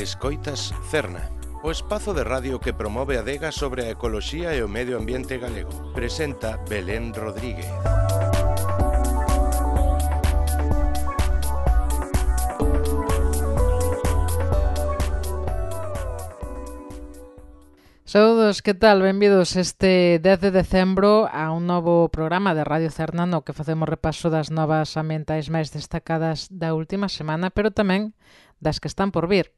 Escoitas Cerna, o espazo de radio que promove a adega sobre a ecoloxía e o medio ambiente galego. Presenta Belén Rodríguez. Saúdos, que tal? Benvidos este 10 de decembro a un novo programa de Radio Cerna no que facemos repaso das novas ambientais máis destacadas da última semana, pero tamén das que están por vir.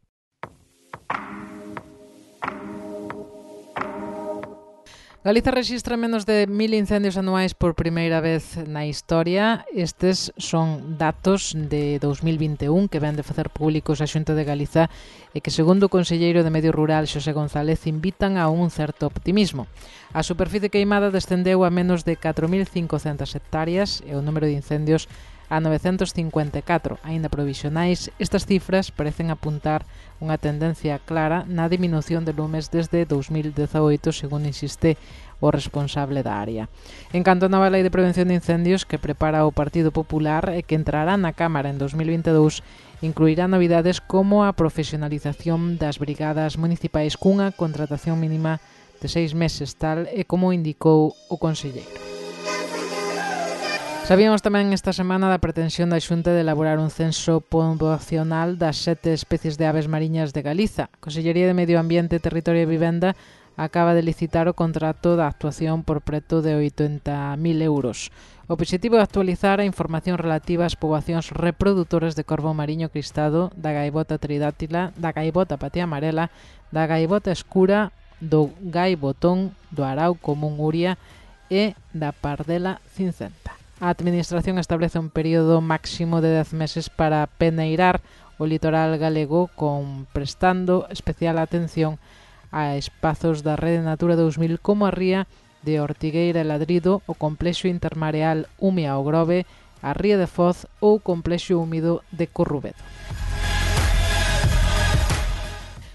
Galiza rexistra menos de 1000 incendios anuais por primeira vez na historia. Estes son datos de 2021 que ven de facer públicos a Xunta de Galiza e que, segundo o conselleiro de Medio Rural, Xosé González, invitan a un certo optimismo. A superficie queimada descendeu a menos de 4.500 hectáreas e o número de incendios a 954. Aínda provisionais, estas cifras parecen apuntar unha tendencia clara na diminución de lumes desde 2018, segundo insiste o responsable da área. En canto a nova lei de prevención de incendios que prepara o Partido Popular e que entrará na Cámara en 2022, incluirá novidades como a profesionalización das brigadas municipais cunha contratación mínima de 6 meses, tal e como indicou o conselleiro. Sabíamos tamén esta semana da pretensión da Xunta de elaborar un censo poboacional das 7 especies de aves mariñas de Galiza. A Consellería de Medio Ambiente, Territorio e Vivenda acaba de licitar o contrato da actuación por preto de 80.000 euros. O obxectivo é actualizar a información relativa ás poboacións reproductoras de corvo mariño cristado, da gaivota tridátila, da gaivota patía amarela, da gaivota escura, do gaivotón, do arau común uria e da pardela cincenta. A Administración establece un período máximo de 10 meses para peneirar o litoral galego prestando especial atención a espazos da Rede Natura 2000 como a ría de Ortigueira e Ladrido, o complexo intermareal Umia o Grove, a ría de Foz ou o complexo húmido de Corrubedo.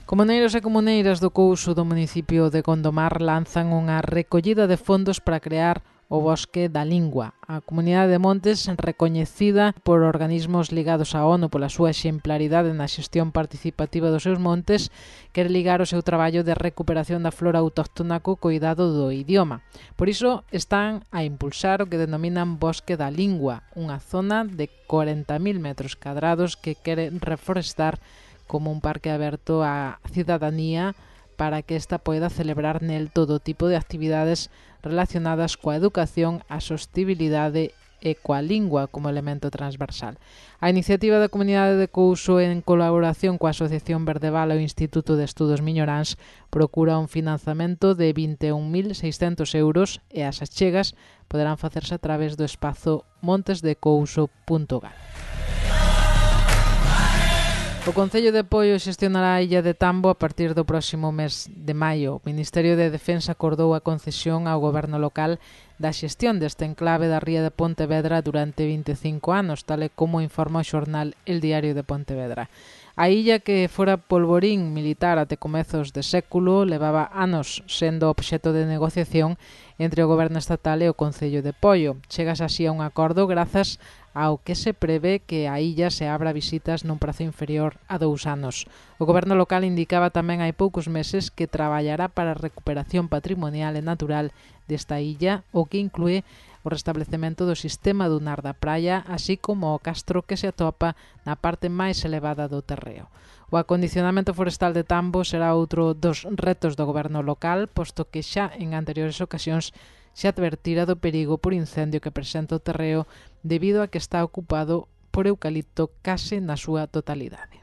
Comuneiros e comuneiras do Couso do municipio de Gondomar lanzan unha recollida de fondos para crear o Bosque da Lingua. A Comunidade de Montes, recoñecida por organismos ligados á ONU pola súa exemplaridade na xestión participativa dos seus montes, quere ligar o seu traballo de recuperación da flora autóctona co cuidado do idioma. Por iso están a impulsar o que denominan Bosque da Lingua, unha zona de 40.000 metros cadrados que quere reforestar como un parque aberto á cidadanía para que esta poida celebrar nel todo tipo de actividades relacionadas coa educación, a sostibilidade e coa lingua como elemento transversal. A iniciativa da Comunidade de Couso, en colaboración coa Asociación Verdeval e o Instituto de Estudos Miñoráns, procura un financiamento de 21.600 euros e as achegas poderán facerse a través do espazo montesdecouso.gal. O Concello de Poio xestionará a illa de Tambo a partir do próximo mes de maio. O Ministerio de Defensa acordou a concesión ao goberno local da xestión deste enclave da ría de Pontevedra durante 25 anos, tal e como informa o xornal El Diario de Pontevedra. A illa, que fora polvorín militar até comezos de século, levaba anos sendo obxeto de negociación entre o goberno estatal e o Concello de Poio. Chegas así a un acordo grazas ao que se prevé que a illa se abra visitas nun prazo inferior a 2 anos. O goberno local indicaba tamén hai poucos meses que traballará para a recuperación patrimonial e natural desta illa, o que inclúe o restablecemento do sistema dunar da praia, así como o castro que se atopa na parte máis elevada do terreo. O acondicionamento forestal de Tambo será outro dos retos do goberno local, posto que xa en anteriores ocasións se advertira do perigo por incendio que presenta o terreo debido a que está ocupado por eucalipto case na súa totalidade.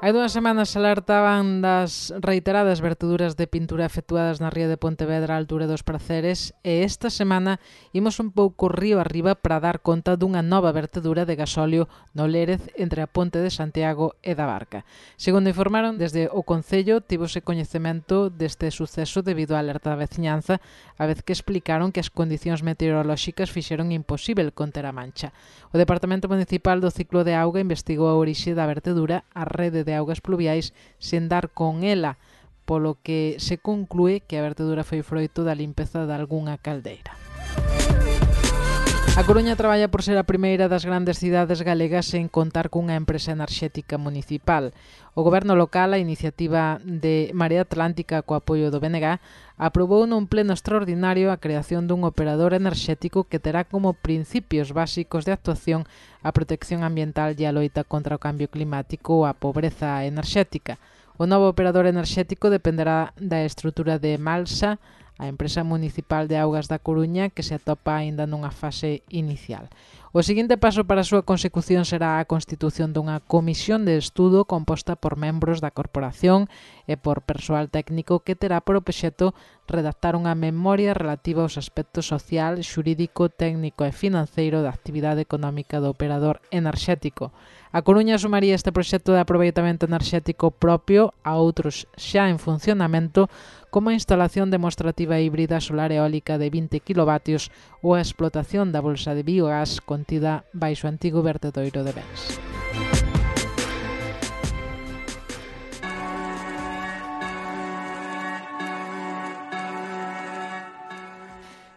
Hai 2 semanas alertaban das reiteradas verteduras de pintura efectuadas na ría de Pontevedra á altura dos Praceres e esta semana imos un pouco río arriba para dar conta dunha nova vertedura de gasóleo no Lérez entre a Ponte de Santiago e da Barca. Segundo informaron desde o Concello, tivose coñecemento deste suceso debido á alerta da veciñanza, a vez que explicaron que as condicións meteorolóxicas fixeron imposível conter a mancha. O Departamento Municipal do Ciclo de Auga investigou a orixe da vertedura, a rede de augas pluviais, sen dar con ela, polo que se conclúe que a vertedura foi froito da limpeza de algunha caldeira. A Coruña traballa por ser a primeira das grandes cidades galegas en contar cunha empresa enerxética municipal. O goberno local, a iniciativa de Marea Atlántica co apoio do BNG, aprobou nun pleno extraordinario a creación dun operador enerxético que terá como principios básicos de actuación a protección ambiental e a loita contra o cambio climático ou a pobreza enerxética. O novo operador enerxético dependerá da estrutura de Malsa, a empresa municipal de augas da Coruña, que se atopa aínda nunha fase inicial. O seguinte paso para a súa consecución será a constitución dunha comisión de estudo composta por membros da corporación e por persoal técnico que terá por obxecto redactar unha memoria relativa aos aspectos social, xurídico, técnico e financeiro da actividade económica do operador enerxético. A Coruña sumaría este proxecto de aproveitamento enerxético propio a outros xa en funcionamento, como a instalación demostrativa híbrida solar eólica de 20 kW ou a explotación da bolsa de biogás contida baixo o antigo vertedoiro de Bens.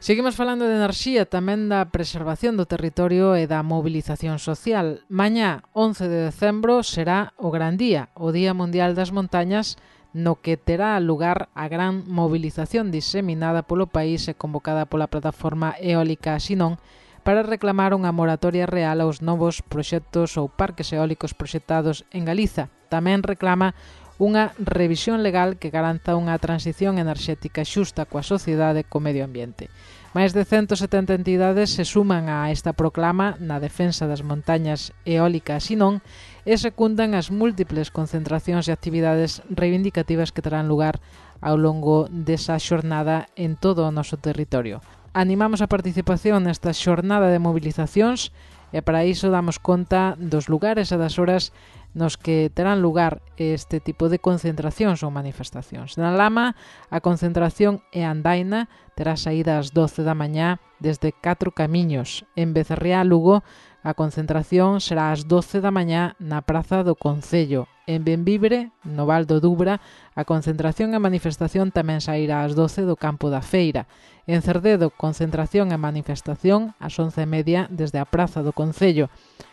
Seguimos falando de enerxía, tamén da preservación do territorio e da mobilización social. Mañá, 11 de decembro, será o gran día, o Día Mundial das Montañas, no que terá lugar a gran mobilización diseminada polo país e convocada pola plataforma eólica Xinón para reclamar unha moratoria real aos novos proxectos ou parques eólicos proxectados en Galiza. Tamén reclama unha revisión legal que garanta unha transición enerxética xusta coa sociedade e co medio ambiente. Máis de 170 entidades se suman a esta proclama na defensa das montañas eólicas Xinón e secundan as múltiples concentracións e actividades reivindicativas que terán lugar ao longo desa xornada en todo o noso territorio. Animamos a participación nesta xornada de mobilizacións e para iso damos conta dos lugares e das horas nos que terán lugar este tipo de concentracións ou manifestacións. Na Lama, a concentración é andaina, terá saída ás 12 da mañá desde 4 camiños. En Becerriá, Lugo, a concentración será ás 12 da mañá na Praza do Concello. En Benvibre, no Val do Dubra, a concentración e manifestación tamén sairá ás 12 do Campo da Feira. En Cerdedo, concentración e manifestación ás 11:30 desde a Praza do Concello.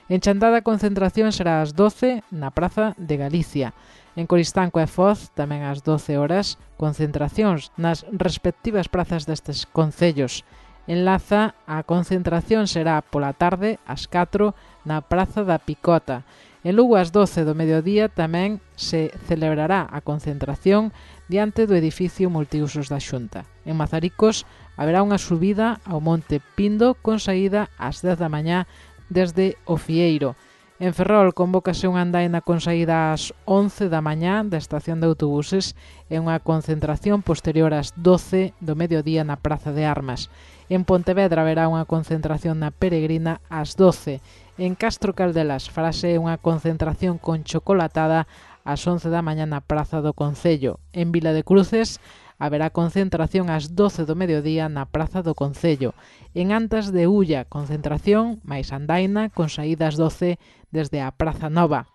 En Chantada, a concentración será ás 12 na Praza de Galicia. En Coristanco e Foz, tamén ás 12 horas, concentracións nas respectivas prazas destes concellos. En Laza, a concentración será pola tarde ás 4 na Praza da Picota. En Lugo, ás 12 do mediodía, tamén se celebrará a concentración diante do edificio multiusos da Xunta. En Mazaricos, haberá unha subida ao Monte Pindo con saída ás 10 da mañá desde o Fieiro. En Ferrol convócase unha andaina con saída ás 11 da mañá da estación de autobuses e unha concentración posterior ás 12 do mediodía na Praza de Armas. En Pontevedra haberá unha concentración na Peregrina ás 12. En Castro Caldelas farase unha concentración con chocolatada ás 11 da mañá na Praza do Concello. En Vila de Cruces haberá concentración ás 12 do mediodía na Praza do Concello. En Antas de Ulla, concentración máis andaina con saída ás 12 desde a Praza Nova.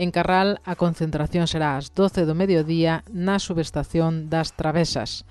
En Carral, a concentración será ás 12 do mediodía na subestación das Travesas.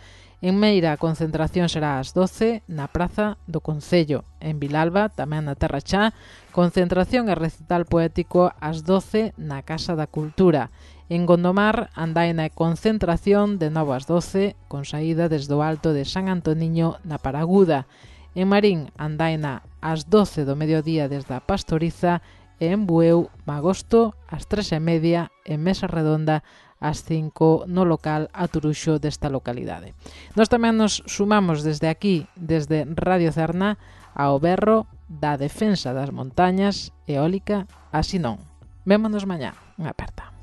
En Meira, a concentración será ás 12 na Praza do Concello. En Vilalba, tamén na Terra Chá, concentración e recital poético ás 12 na Casa da Cultura. En Gondomar, andaina e concentración de novo ás 12, con saída desde o Alto de San Antoniño na Paraguda. En Marín, andaina ás 12 do mediodía desde a Pastoriza e en Bueu, Magosto, ás 3:30, en Mesa Redonda, ás 5 no local Aturuxo desta localidade. Nós tamén nos sumamos desde aquí, desde Radio Cerna, ao berro da defensa das montañas eólica a Xinón. Vémonos mañá. Unha aperta.